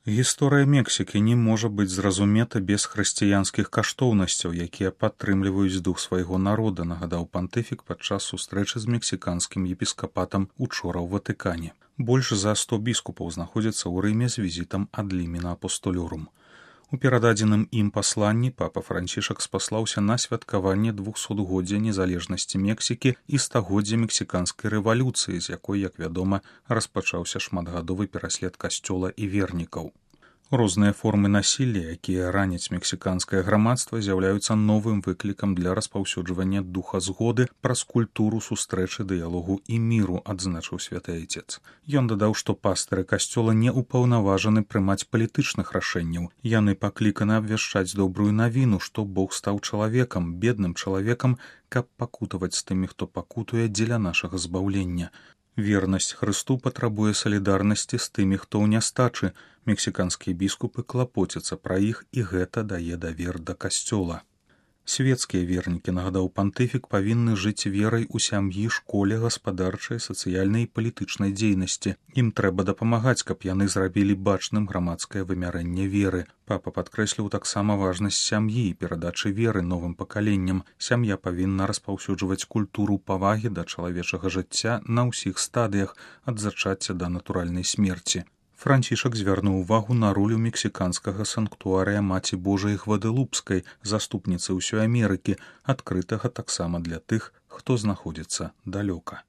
Гісторыя Мексікі не можа быць зразумета без хрысціянскіх каштоўнасцяў, якія падтрымліваюць дух свайго народа, нагадаў пантыфік падчас сустрэчы з мексіканскім епіскапатам учора ў Ватыкане. Больш за 100 біскупаў знаходзяцца ў Рыме з візітам ад лімена апостолюрум. У перададзеным ім пасланні папа Францішак спаслаўся на святкаванне 200-годдзя незалежнасці Мексікі і стагоддзя мексіканскай рэвалюцыі, з якой, як вядома, распачаўся шматгадовы пераслед касцёла і вернікаў. Розныя формы насілля, якія раняць мексіканскае грамадства, з'яўляюцца новым выклікам для распаўсюджвання духа згоды праз культуру сустрэчы, дыялогу і міру, адзначыў святы айцец. Ён дадаў, што пастыры касцёла не ўпаўнаважаны прымаць палітычных рашэнняў. Яны пакліканы абвяшчаць добрую навіну, што Бог стаў чалавекам, бедным чалавекам, каб пакутаваць з тымі, хто пакутуе дзеля нашага збаўлення. Вернасць Хрысту патрабуе салідарнасці з тымі, хто ў нястачы. Мексіканскія біскупы клапоцяцца пра іх, і гэта дае давер да касцёла. Свецкія вернікі, нагадаў пантыфік, павінны жыць верай у сям'і, школе, гаспадарчай, сацыяльнай і палітычнай дзейнасці. Ім трэба дапамагаць, каб яны зрабілі бачным грамадскае вымярэнне веры. Папа падкрэсліў таксама важнасць сям'і і перадачы веры новым пакаленням. Сям'я павінна распаўсюджваць культуру павагі да чалавечага жыцця на ўсіх стадыях, ад зачацця да натуральнай смерці. Францішак звярнуў увагу на ролю мексіканскага санктуарыя Маці Божай Гвадэлупскай, заступніцы ўсёй Амерыкі, адкрытага таксама для тых, хто знаходзіцца далёка.